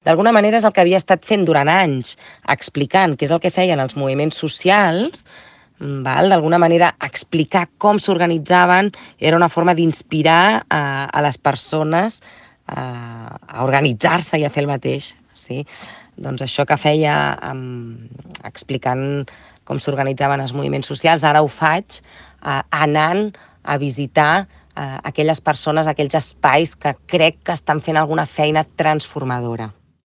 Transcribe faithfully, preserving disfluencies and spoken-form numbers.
D'alguna manera és el que havia estat fent durant anys, explicant què és el que feien els moviments socials, val? D'alguna manera explicar com s'organitzaven era una forma d'inspirar a, a les persones a, a organitzar-se i a fer el mateix. Sí? Doncs això que feia um, explicant com s'organitzaven els moviments socials, ara ho faig uh, anant a visitar uh, aquelles persones, aquells espais que crec que estan fent alguna feina transformadora.